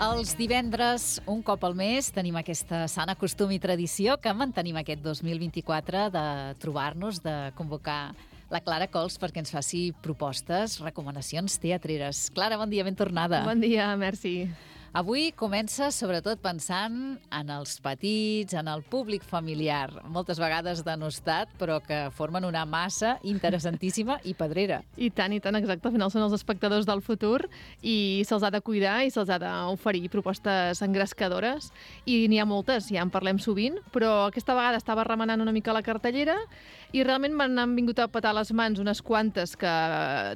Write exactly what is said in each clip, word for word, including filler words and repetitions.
Els divendres, un cop al mes, tenim aquesta sana costum i tradició que mantenim aquest dos mil vint-i-quatre de trobar-nos, de convocar la Clara Cols perquè ens faci propostes, recomanacions teatreres. Clara, bon dia, ben tornada. Bon dia, merci. Avui comença sobretot pensant en els petits, en el públic familiar, moltes vegades denostat, però que formen una massa interessantíssima i pedrera. I tant, i tant, exacte. Al final són els espectadors del futur i se'ls ha de cuidar i se'ls ha d'oferir propostes engrescadores. I n'hi ha moltes, ja en parlem sovint, però aquesta vegada estava remenant una mica la cartellera i realment m'han vingut a petar les mans unes quantes que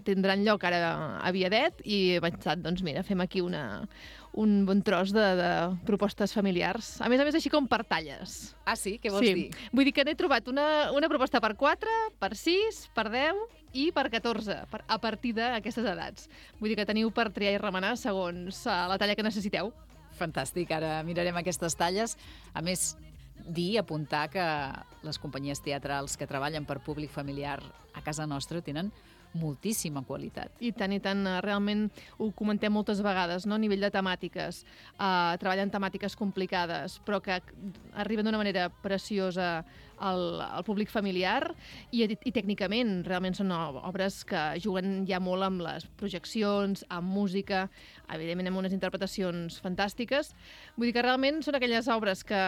tindran lloc ara a Viadet i he pensat, doncs mira, fem aquí una... un bon tros de, de propostes familiars. A més a més, així com per talles. Ah, sí? Què vols sí. dir? Vull dir que n'he trobat una, una proposta per quatre, per sis, per deu i per catorze, per, a partir d'aquestes edats. Vull dir que teniu per triar i remenar segons uh, la talla que necessiteu. Fantàstic, ara mirarem aquestes talles. A més, dir, apuntar que les companyies teatrals que treballen per públic familiar a casa nostra tenen moltíssima qualitat. I tant, i tant. Realment ho comentem moltes vegades, no? A nivell de temàtiques. Uh, treballen temàtiques complicades, però que arriben d'una manera preciosa al, al públic familiar i, i tècnicament realment són obres que juguen ja molt amb les projeccions, amb música, evidentment amb unes interpretacions fantàstiques. Vull dir que realment són aquelles obres que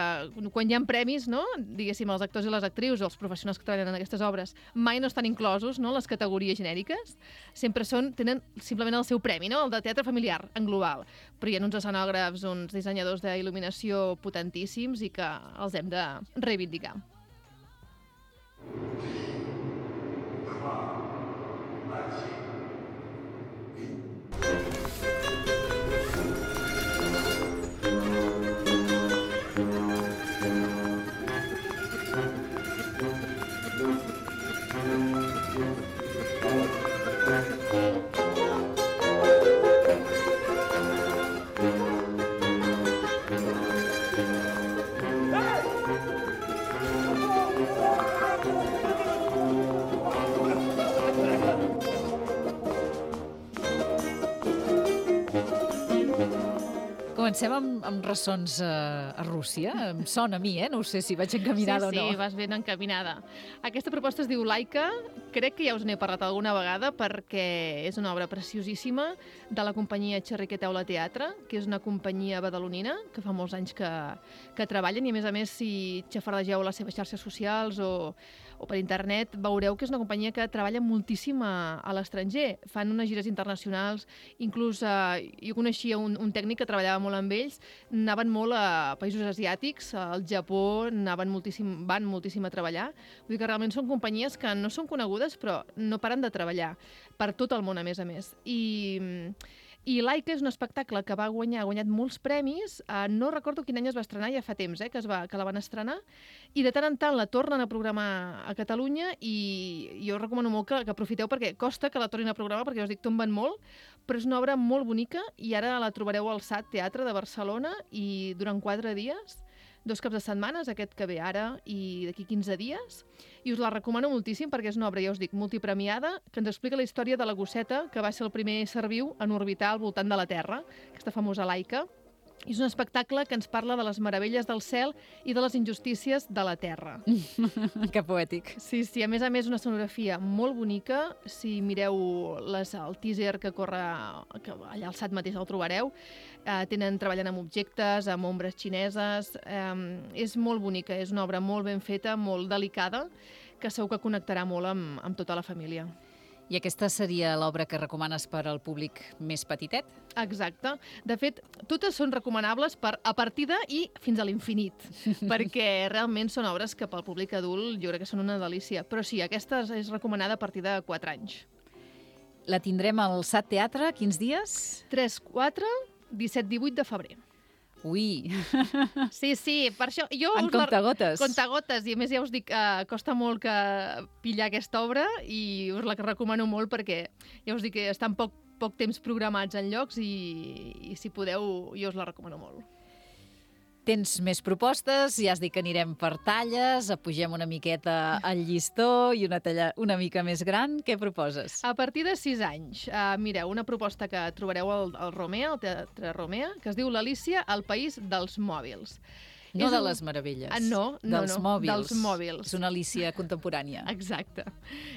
quan hi ha premis, no? Diguéssim, els actors i les actrius o els professionals que treballen en aquestes obres mai no estan inclosos, no? Les categories genèriques sempre són, tenen simplement el seu premi, no? El de teatre familiar, en global. Però hi ha uns escenògrafs, uns dissenyadors d'il·luminació potentíssims i que els hem de reivindicar. Comencem amb, amb ressons uh, a Rússia. Em sona a mi, eh? No sé si vaig encaminada sí, o no. Sí, sí, vas ben encaminada. Aquesta proposta es diu Laika. Crec que ja us n'he parlat alguna vegada perquè és una obra preciosíssima de la companyia Xerriquer Teula Teatre, que és una companyia badalonina que fa molts anys que, que treballen i, a més a més, si xafardegeu les seves xarxes socials o, o per internet, veureu que és una companyia que treballa moltíssim a, a l'estranger. Fan unes gires internacionals, inclús eh, jo coneixia un, un tècnic que treballava molt amb ells, anaven molt a països asiàtics, al Japó, anaven moltíssim, van moltíssim a treballar. Vull dir que realment són companyies que no són conegudes, però no paren de treballar per tot el món, a més a més. I, i Laika és un espectacle que va guanyar, ha guanyat molts premis, eh, no recordo quin any es va estrenar, ja fa temps eh, que, es va, que la van estrenar, i de tant en tant la tornen a programar a Catalunya i jo recomano molt que, que aprofiteu perquè costa que la tornin a programar, perquè us dic, tomben molt, però és una obra molt bonica i ara la trobareu al S A T Teatre de Barcelona i durant quatre dies, dos caps de setmanes, aquest que ve ara i d'aquí quinze dies, i us la recomano moltíssim perquè és una obra, ja us dic, multipremiada, que ens explica la història de la gosseta que va ser el primer ser viu en orbitar al voltant de la Terra, aquesta famosa Laika. I és un espectacle que ens parla de les meravelles del cel i de les injustícies de la Terra. Que poètic. Sí, sí, a més a més una escenografia molt bonica. Si mireu les, el teaser que corre que allà al S A T mateix el trobareu, eh, tenen treballant amb objectes, amb ombres xineses. Eh, és molt bonica, és una obra molt ben feta, molt delicada, que segur que connectarà molt amb, amb tota la família. I aquesta seria l'obra que recomanes per al públic més petitet? Exacte. De fet, totes són recomanables per a partir de i fins a l'infinit, perquè realment són obres que pel públic adult jo crec que són una delícia. Però sí, aquesta és recomanada a partir de quatre anys. La tindrem al S A T Teatre, quins dies? tres, quatre, disset, divuit de febrer. Ui! Sí, sí, per això... Jo en comptagotes. Comptagotes, i a més ja us dic, eh, costa molt que pillar aquesta obra i us la recomano molt perquè ja us dic que estan poc, poc temps programats en llocs i, i si podeu jo us la recomano molt. Tens més propostes, ja has dit que anirem per talles, apugem una miqueta el llistó i una talla una mica més gran. Què proposes? A partir de sis anys, uh, mireu, una proposta que trobareu al, al Romea, al Teatre Romea, que es diu l'Alícia, el país dels mòbils. No És de un... les meravelles. Ah, no, no, dels no, mòbils. dels mòbils. És una Alícia contemporània. Exacte.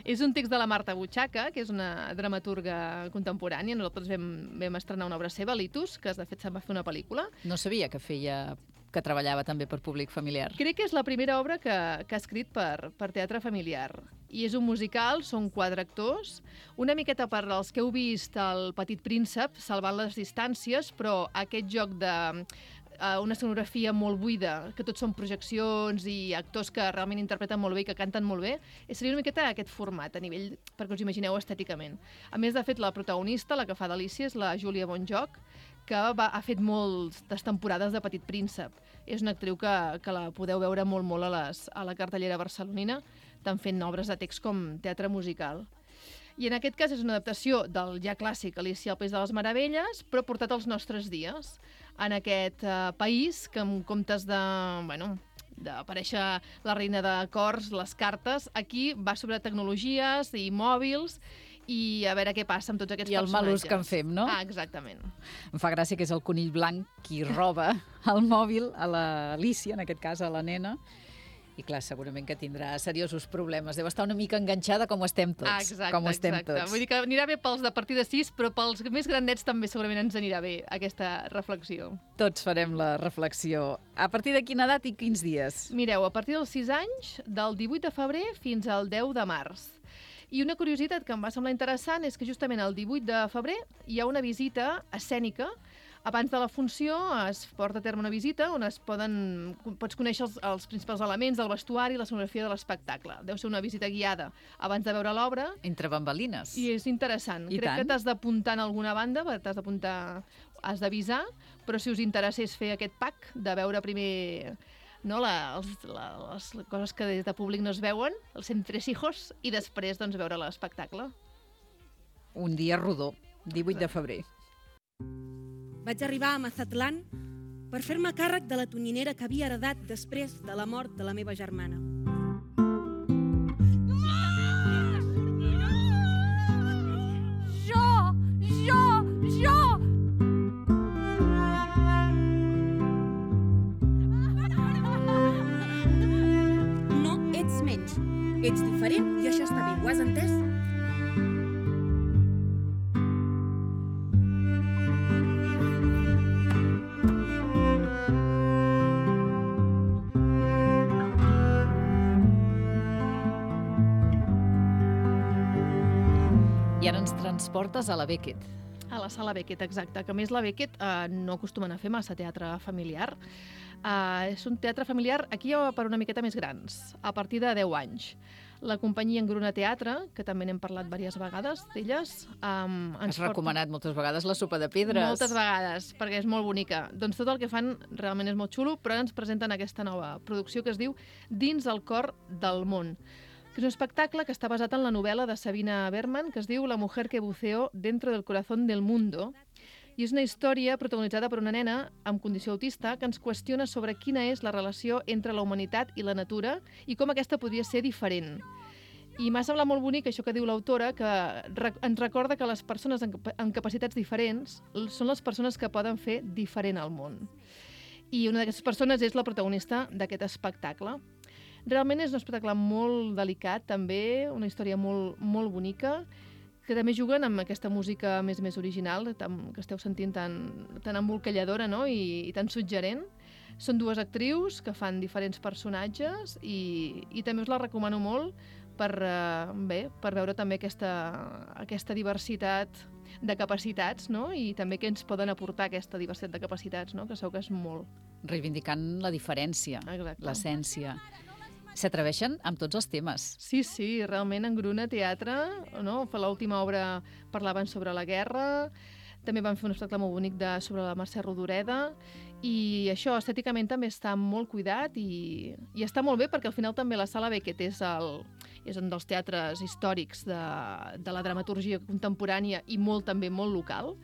És un text de la Marta Butxaca, que és una dramaturga contemporània. Nosaltres vam, vam estrenar una obra seva, Litus, que de fet se'n va fer una pel·lícula. No sabia que feia que treballava també per públic familiar. Crec que és la primera obra que, que ha escrit per, per teatre familiar. I és un musical, són quatre actors, una miqueta per als que heu vist El Petit Príncep, salvant les distàncies, però aquest joc de uh, una escenografia molt buida, que tots són projeccions i actors que realment interpreten molt bé i que canten molt bé, seria una miqueta aquest format, a nivell, perquè us imagineu estèticament. A més, de fet, la protagonista, la que fa d'Alícia, és la Júlia Bonjoc, que va, ha fet moltes temporades de Petit Príncep. És una actriu que, que la podeu veure molt, molt a, les, a la cartellera barcelonina, tant fent obres de text com teatre musical. I en aquest cas és una adaptació del ja clàssic Alícia al País de les Meravelles, però portat als nostres dies, en aquest uh, país que en comptes de... Bueno, d'aparèixer la reina de cors, les cartes, aquí va sobre tecnologies i mòbils, i a veure què passa amb tots aquests I el personatges. mal ús que en fem, no? Ah, exactament. Em fa gràcia que és el conill blanc qui roba el mòbil a l'Alícia, en aquest cas a la nena, i clar, segurament que tindrà seriosos problemes. Deu estar una mica enganxada com ho estem tots. Ah, exacte, com ho estem exacte. tots. Vull dir que anirà bé pels de partir de sis, però pels més grandets també segurament ens anirà bé aquesta reflexió. Tots farem la reflexió. A partir de quina edat i quins dies? Mireu, a partir dels sis anys, del divuit de febrer fins al deu de març. I una curiositat que em va semblar interessant és que justament el divuit de febrer hi ha una visita escènica. Abans de la funció es porta a terme una visita on es poden, pots conèixer els, els principals elements del vestuari i l'escenografia de l'espectacle. Deu ser una visita guiada abans de veure l'obra. Entre bambalines. I és interessant. I Crec tant. que t'has d'apuntar en alguna banda, t'has d'apuntar, has d'avisar, però si us interessés fer aquest pack de veure primer... No, la, els, la, les coses que des de públic no es veuen, els entresijos, i després doncs, veure l'espectacle. Un dia rodó, divuit de febrer. Vaig arribar a Mazatlán per fer-me càrrec de la tonyinera que havia heredat després de la mort de la meva germana. Jo! Jo! Jo! No ets menys. Ets diferent i això està bé. Ho has entès? I ara ens transportes a la Beckett. A la sala Beckett, exacte. Que a més la Beckett eh, no acostumen a fer massa teatre familiar. Eh, és un teatre familiar aquí ja per una miqueta més grans, a partir de deu anys. La companyia Engruna Teatre, que també n'hem parlat diverses vegades d'elles... Um, Has recomanat moltes vegades la sopa de pedres. Moltes vegades, perquè és molt bonica. Doncs tot el que fan realment és molt xulo, però ens presenten aquesta nova producció que es diu Dins el cor del món, que és un espectacle que està basat en la novel·la de Sabina Berman, que es diu La mujer que buceó dentro del corazón del mundo, i és una història protagonitzada per una nena amb condició autista que ens qüestiona sobre quina és la relació entre la humanitat i la natura i com aquesta podria ser diferent. I m'ha semblat molt bonic això que diu l'autora, que ens recorda que les persones amb capacitats diferents són les persones que poden fer diferent al món. I una d'aquestes persones és la protagonista d'aquest espectacle. Realment és un espectacle molt delicat, també, una història molt, molt bonica, que també juguen amb aquesta música més més original, que esteu sentint tan, tan embolcalladora, no? I, i tan suggerent. Són dues actrius que fan diferents personatges i, i també us la recomano molt per, eh, bé, per veure també aquesta, aquesta diversitat de capacitats, no? I també què ens poden aportar aquesta diversitat de capacitats, no? Que segur que és molt. Reivindicant la diferència, Exacte. l'essència. S'atreveixen amb tots els temes. Sí, sí, realment en Engruna Teatre, no? L'última obra parlaven sobre la guerra, també van fer un espectacle molt bonic de, sobre la Mercè Rodoreda, i això estèticament també està molt cuidat i, i està molt bé perquè al final també la Sala Beckett és, el, és un dels teatres històrics de, de la dramaturgia contemporània i molt també molt local.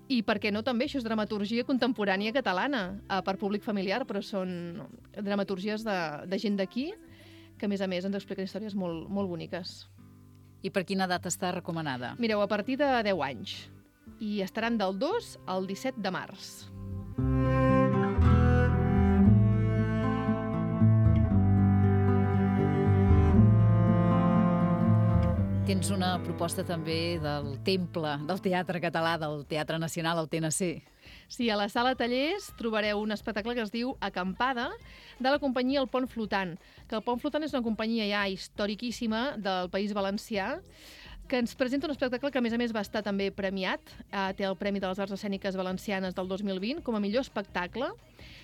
I per què no també? Això és dramaturgia contemporània catalana, eh, per públic familiar, però són dramaturgies de, de gent d'aquí, que a més a més ens expliquen històries molt, molt boniques. I per quina edat està recomanada? Mireu, a partir de deu anys. I estaran del dos al disset de març. Tens una proposta també del temple del Teatre Català, del Teatre Nacional, el T N C. Sí, a la sala Tallers trobareu un espectacle que es diu Acampada, de la companyia El Pont Flotant, que el Pont Flotant és una companyia ja historiquíssima del País Valencià, que ens presenta un espectacle que, a més a més, va estar també premiat. Eh, té el Premi de les Arts Escèniques Valencianes del dos mil vint com a millor espectacle.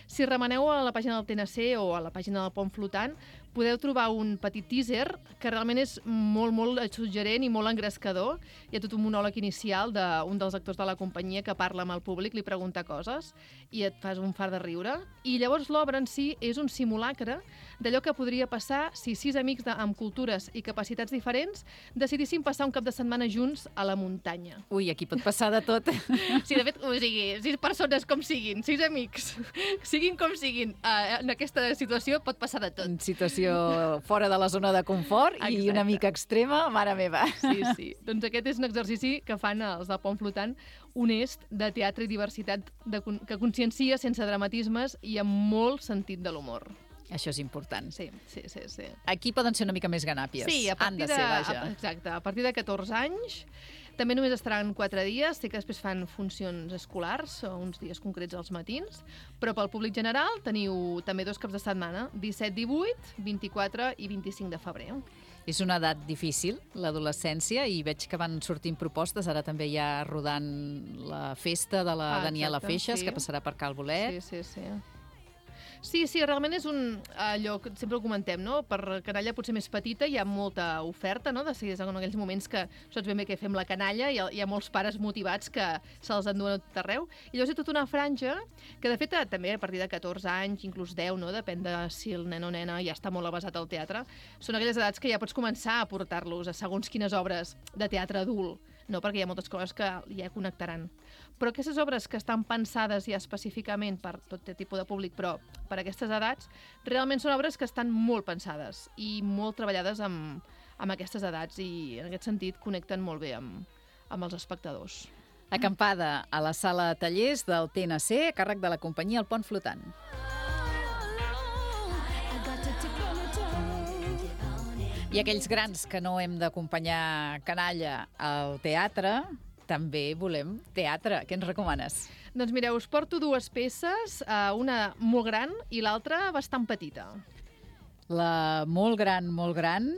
Si remeneu a la pàgina del T N C o a la pàgina del Pont Flotant, podeu trobar un petit teaser que realment és molt, molt suggerent i molt engrescador. Hi ha tot un monòleg inicial d'un dels actors de la companyia que parla amb el públic, li pregunta coses i et fas un fart de riure. I llavors l'obra en si és un simulacre d'allò que podria passar si sis amics de, amb cultures i capacitats diferents decidissin passar un cap de setmana junts a la muntanya. Ui, aquí pot passar de tot. Sí, de fet, o sigui, sis persones com siguin, sis amics, siguin com siguin, eh, en aquesta situació pot passar de tot. En situació fora de la zona de confort. Exacte. I una mica extrema, mare meva. Sí, sí. Doncs aquest és un exercici que fan els del Pont Flotant, honest, de teatre i diversitat, de, que consciencia sense dramatismes i amb molt sentit de l'humor. Això és important. Sí, sí, sí, sí. Aquí poden ser una mica més ganàpies. Sí, a partir Han de ser, de, vaja. a, exacte, a partir de catorze anys. També només estaran quatre dies, sé que després fan funcions escolars, o uns dies concrets als matins, però pel públic general teniu també dos caps de setmana, disset, divuit, vint-i-quatre i vint-i-cinc de febrer. És una edat difícil, l'adolescència, i veig que van sortint propostes. Ara també hi ha rodant la festa de la Ah, Daniela exacte, Feixas, sí. que passarà per Cal Bolet. Sí, sí, sí. Sí, sí, realment és un allò que sempre ho comentem, no? Per canalla potser més petita hi ha molta oferta, no? De seguida en aquells moments que saps ben bé què fem la canalla, hi ha, hi ha molts pares motivats que se'ls enduen a tot arreu. I llavors hi ha tota una franja que, de fet, també a partir de catorze anys, inclús deu, no? Depèn de si el nen o nena ja està molt avasat al teatre, són aquelles edats que ja pots començar a portar-los a segons quines obres de teatre adult, no? Perquè hi ha moltes coses que ja connectaran. Però aquestes obres que estan pensades ja específicament per tot tipus de públic, però per aquestes edats, realment són obres que estan molt pensades i molt treballades amb, amb aquestes edats i en aquest sentit connecten molt bé amb, amb els espectadors. Acampada a la sala Tallers del T N C, a càrrec de la companyia El Pont Flotant. I aquells grans que no hem d'acompanyar canalla al teatre, també volem teatre. Què ens recomanes? Doncs mireu, us porto dues peces, una molt gran i l'altra bastant petita. La molt gran, molt gran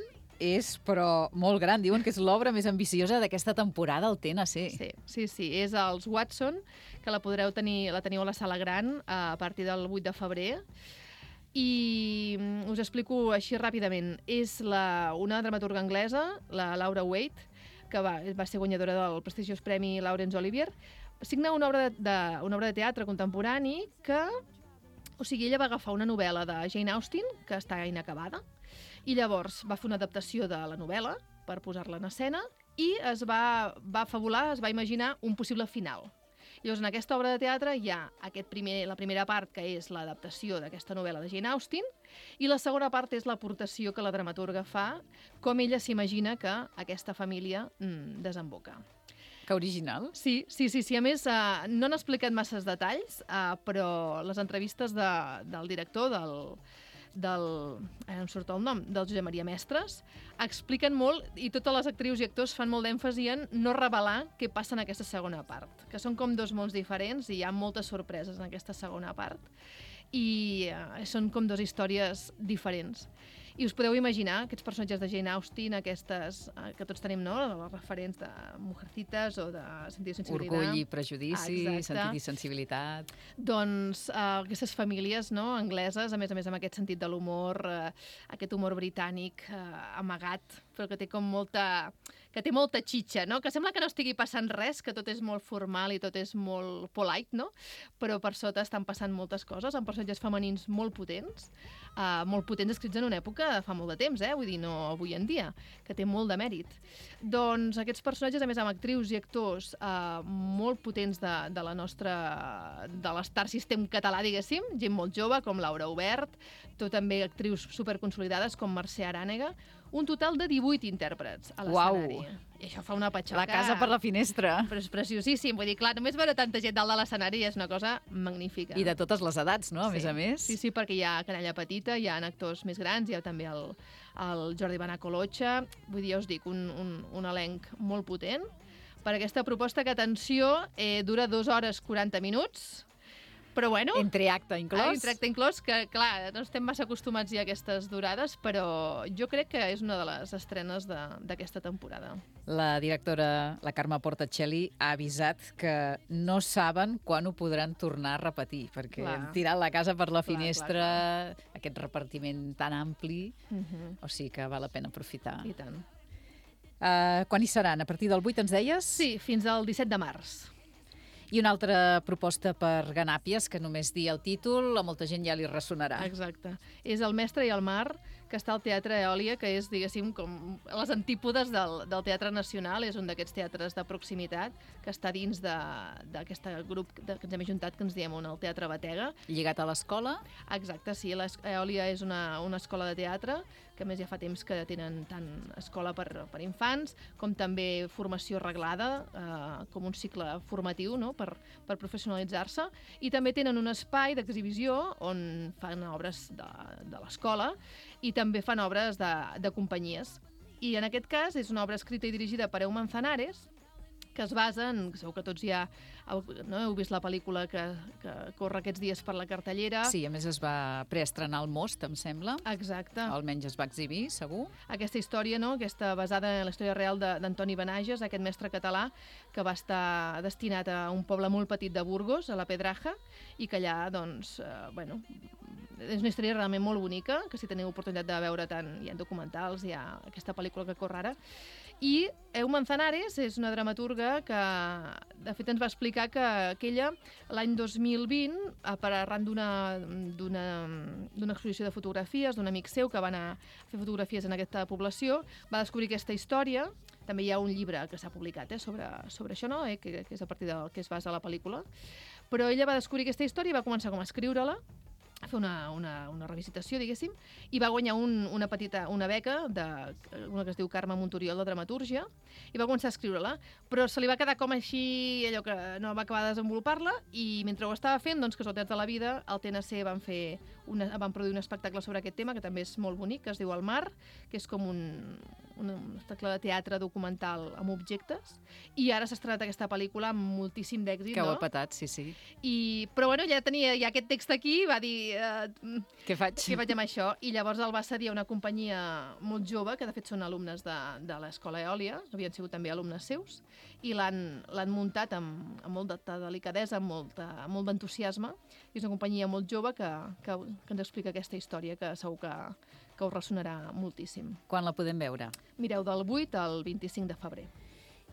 és, però molt gran. Diuen que és l'obra més ambiciosa d'aquesta temporada al T N C. Sí, sí, sí. És els Watson, que la podreu tenir, la teniu a la sala gran a partir del vuit de febrer. I us explico així ràpidament. És la, una dramaturga anglesa, la Laura Waite, que va, va ser guanyadora del prestigiós Premi Laurence Olivier, signa una obra de, de, una obra de teatre contemporani que, o sigui, ella va agafar una novel·la de Jane Austen, que està inacabada, i llavors va fer una adaptació de la novel·la per posar-la en escena i es va, va fabular, es va imaginar un possible final. Llavors, en aquesta obra de teatre hi ha aquest primer, la primera part, que és l'adaptació d'aquesta novel·la de Jane Austen, i la segona part és l'aportació que la dramaturga fa, com ella s'imagina que aquesta família mm, desemboca. Que original. Sí, sí, sí. sí. A més, eh, no han explicat masses detalls, eh, però les entrevistes de, del director, del, del, eh, em surt el nom, del Josep Maria Mestres, expliquen molt, i totes les actrius i actors fan molt d'èmfasi en no revelar què passa en aquesta segona part, que són com dos mons diferents i hi ha moltes sorpreses en aquesta segona part, i eh, són com dues històries diferents. I us podeu imaginar aquests personatges de Jane Austen, aquestes eh, que tots tenim, no?, les referents de Mujercitas o de Sentit i Sensibilitat. Orgull i prejudici, Exacte. sentit i sensibilitat. Doncs eh, aquestes famílies, no?, angleses, a més a més amb aquest sentit de l'humor, eh, aquest humor britànic eh, amagat, però que té com molta que té molta xitxa, no? Que sembla que no estigui passant res, que tot és molt formal i tot és molt polite, no? Però per sota estan passant moltes coses, amb personatges femenins molt potents, uh, molt potents escrits en una època de fa molt de temps, eh? Vull dir, no avui en dia, que té molt de mèrit. Doncs aquests personatges, a més, amb actrius i actors uh, molt potents de, de la nostra... de l'Star System català, diguéssim, gent molt jove, com Laura Obert, tot també actrius superconsolidades com Mercè Arànega, un total de divuit intèrprets a l'escenari. Uau. I això fa una patxoca... La casa per la finestra. Però és preciosíssim. Vull dir, clar, només veure tanta gent dalt de l'escenari és una cosa magnífica. I de totes les edats, no? A sí. més a més. Sí, sí, perquè hi ha canalla petita, hi ha actors més grans, hi ha també el, el Jordi Benacolotxa. Vull dir, ja us dic, un, un, un elenc molt potent. Per aquesta proposta que, atenció, eh, dura dues hores quaranta minuts, però bueno... Entre acte inclòs. Ah, entre acte inclòs, que clar, no estem massa acostumats ja a aquestes durades, però jo crec que és una de les estrenes d'aquesta temporada. La directora, la Carme Portacelli, ha avisat que no saben quan ho podran tornar a repetir, perquè Clar. hem tirat la casa per la Clar, finestra, clar, clar. aquest repartiment tan ampli, Uh -huh. o sigui que val la pena aprofitar. I tant. Uh, quan hi seran? A partir del vuit, ens deies? Sí, fins al disset de març. I una altra proposta per Ganàpies, que només dir el títol, a molta gent ja li ressonarà. Exacte. És El mestre i el mar, que està al Teatre Eòlia, que és, diguéssim, com a les antípodes del, del Teatre Nacional. És un d'aquests teatres de proximitat que està dins d'aquest grup de, que ens hem ajuntat, que ens diem el Teatre Batega. Lligat a l'escola? Exacte, sí. L'Eòlia és una, una escola de teatre, que a més ja fa temps que tenen tant escola per, per infants, com també formació reglada, eh, com un cicle formatiu, no?, per, per professionalitzar-se. I també tenen un espai d'exhibició on fan obres de, de l'escola i també fan obres de, de companyies. I en aquest cas és una obra escrita i dirigida per Eeu Manzanares, que es basa en... Segur que tots ja heu, no, heu vist la pel·lícula que, que corre aquests dies per la cartellera. Sí, a més es va preestrenar al Most, em sembla. Exacte. Almenys es va exhibir, segur. Aquesta història, no?, aquesta basada en la història real d'Antoni Benages, aquest mestre català que va estar destinat a un poble molt petit de Burgos, a la Pedraja, i que allà, doncs, eh, bueno, és una història realment molt bonica, que si teniu oportunitat de veure tant, hi ha documentals, hi ha aquesta pel·lícula que corre ara. I Eeu Manzanares és una dramaturga que, de fet, ens va explicar que aquella, l'any dos mil vint, per arran d'una exposició de fotografies d'un amic seu que va anar a fer fotografies en aquesta població, va descobrir aquesta història. També hi ha un llibre que s'ha publicat eh, sobre, sobre això, no? eh, que, que és a partir del que es basa la pel·lícula. Però ella va descobrir aquesta història i va començar com a escriure-la, a fer una, una, una revisitació, diguéssim, i va guanyar un, una petita una beca, de, una que es diu Carme Montoriol de Dramatúrgia, i va començar a escriure-la, però se li va quedar com així, allò que no va acabar de desenvolupar-la, i mentre ho estava fent, doncs, casualitats de la vida, al T N C van, fer una, van produir un espectacle sobre aquest tema, que també és molt bonic, que es diu El mar, que és com un, un espectacle de teatre documental amb objectes, i ara s'ha estrenat aquesta pel·lícula amb moltíssim d'èxit, que no? ho ha patat, sí, sí. I, però bueno, ja tenia ja aquest text aquí, va dir... Uh, què faig? Què faig amb això? I llavors el va cedir a una companyia molt jove, que de fet són alumnes de, de l'Escola Eòlia, havien sigut també alumnes seus, i l'han muntat amb, amb molta delicadesa, amb, molta, amb molt d'entusiasme. És una companyia molt jove que, que, que ens explica aquesta història, que segur que, que us ressonarà moltíssim. Quan la podem veure? Mireu, del vuit al vint-i-cinc de febrer.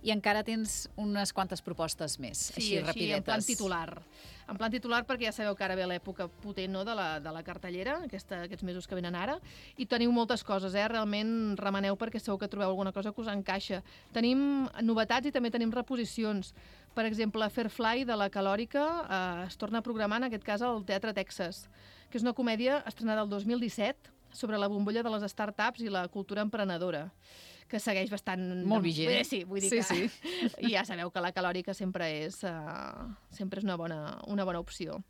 I encara tens unes quantes propostes més, sí, així, rapidetes. Sí, en plan titular. En plan titular perquè ja sabeu que ara ve l'època potent, no?, de, la, de la cartellera, aquesta, aquests mesos que venen ara, i teniu moltes coses, eh? Realment remeneu perquè segur que trobeu alguna cosa que us encaixa. Tenim novetats i també tenim reposicions. Per exemple, Fairfly, de la Calòrica, eh, es torna a programar, en aquest cas, al Teatre Texas, que és una comèdia estrenada el dos mil disset sobre la bombolla de les startups i la cultura emprenedora, que segueix bastant... Molt vigent. Eh, sí, vull dir sí, que... Sí. I ja sabeu que la Calòrica sempre és, uh, sempre és una, bona, una bona opció.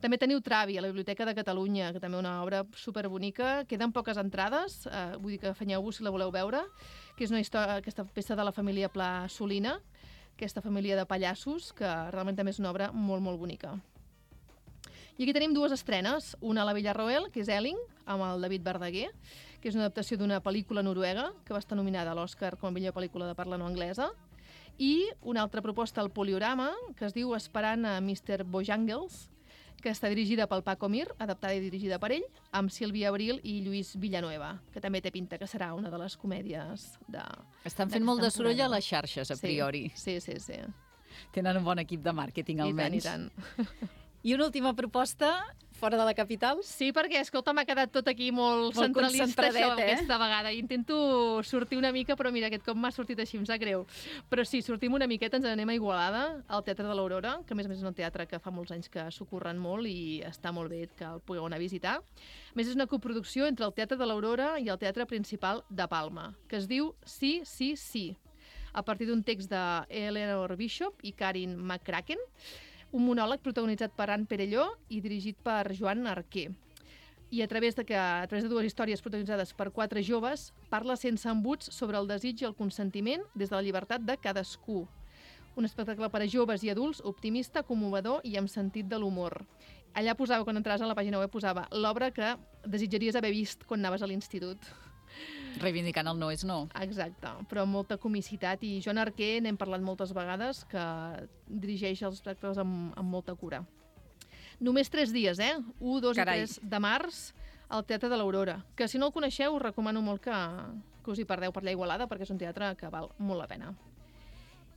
També teniu Travi, a la Biblioteca de Catalunya, que també és una obra superbonica. Queden poques entrades, uh, vull dir que afanyeu-vos si la voleu veure, que és una història, aquesta peça de la família Pla Solina, aquesta família de pallassos, que realment també és una obra molt, molt bonica. I aquí tenim dues estrenes, una a la Villarroel, que és Elling, amb el David Verdaguer, que és una adaptació d'una pel·lícula noruega, que va estar nominada a l'Oscar com a millor pel·lícula de parla no anglesa, i una altra proposta al Poliorama, que es diu Esperant a mister Bojangles, que està dirigida pel Paco Mir, adaptada i dirigida per ell, amb Sílvia Abril i Lluís Villanueva, que també té pinta que serà una de les comèdies de... Estan fent molt de soroll a les xarxes, a priori. Sí, sí, sí. Tenen un bon equip de màrqueting, almenys. I tant, i tant. I una última proposta, fora de la capital? Sí, perquè, escolta, m'ha quedat tot aquí molt, molt centralista això, eh? aquesta vegada. Intento sortir una mica, però mira, aquest cop m'ha sortit així, em sap greu. Però sí, sortim una miqueta, ens anem a Igualada, al Teatre de l'Aurora, que a més a més és un teatre que fa molts anys que s'ho curren molt i està molt bé que el pugueu anar a visitar. A més, és una coproducció entre el Teatre de l'Aurora i el Teatre Principal de Palma, que es diu Sí, sí, sí, a partir d'un text de Eleanor Bishop i Karin McCracken, un monòleg protagonitzat per Anne Perelló i dirigit per Joan Arquer. I a través de, que, a través de dues històries protagonitzades per quatre joves, parla sense embuts sobre el desig i el consentiment des de la llibertat de cadascú. Un espectacle per a joves i adults, optimista, commovedor i amb sentit de l'humor. Allà posava, quan entraves a la pàgina web, posava l'obra que desitjaries haver vist quan anaves a l'institut. Reivindicant el no és no. Exacte, però amb molta comicitat. I Joan Arquer, n'hem parlat moltes vegades, que dirigeix els espectacles amb, amb molta cura. Només tres dies, eh? un, dos Carai. i tres de març al Teatre de l'Aurora. Que si no el coneixeu, us recomano molt que, que us hi perdeu per allà a Igualada, perquè és un teatre que val molt la pena.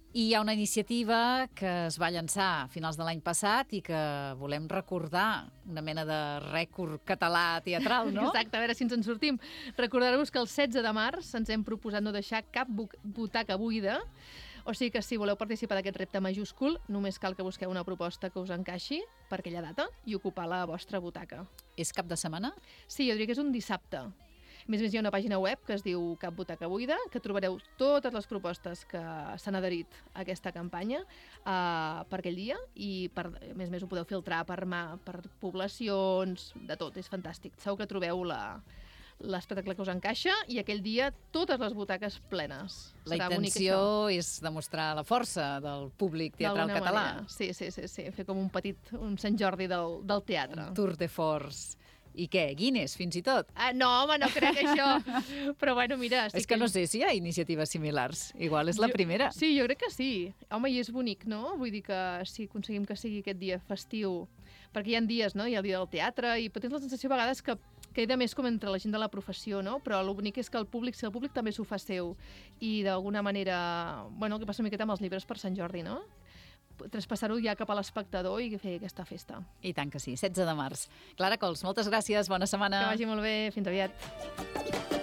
I hi ha una iniciativa que es va llançar a finals de l'any passat i que volem recordar, una mena de rècord català teatral, no? Exacte, a veure si ens en sortim. Recordar-vos que el setze de març ens hem proposat no deixar cap butaca buida, o sigui que si voleu participar d'aquest repte majúscul, només cal que busqueu una proposta que us encaixi per aquella data i ocupar la vostra butaca. És cap de setmana? Sí, jo diria que és un dissabte. A més a més, hi ha una pàgina web que es diu Cap Butaca Buida, que trobareu totes les propostes que s'han adherit a aquesta campanya uh, per aquell dia i, per, a més a més, ho podeu filtrar per, mà, per poblacions, de tot, és fantàstic. Segur que trobeu la, l'espectacle que us encaixa i aquell dia totes les butaques plenes. La Serà intenció és demostrar la força del públic teatral català. Manera. Sí, sí, sí, sí, fer com un petit un Sant Jordi del, del teatre. Un tour de force. I què? Guinness, fins i tot? Ah, no, home, no crec això. Però bueno, mira... Sí és que, que no sé si hi ha iniciatives similars. Igual és la jo, primera. Sí, jo crec que sí. Home, i és bonic, no? Vull dir que si aconseguim que sigui aquest dia festiu, perquè hi ha dies, no? Hi ha el dia del teatre, i tens la sensació a vegades que queda més com entre la gent de la professió, no? Però el bonic és que el públic, si el públic també s'ho fa seu, i d'alguna manera... Bueno, el que passa una miqueta amb els llibres per Sant Jordi, no? Traspassar-ho ja cap a l'espectador i fer aquesta festa. I tant que sí, setze de març. Clara Cols, moltes gràcies, bona setmana. Que vagi molt bé, fins aviat.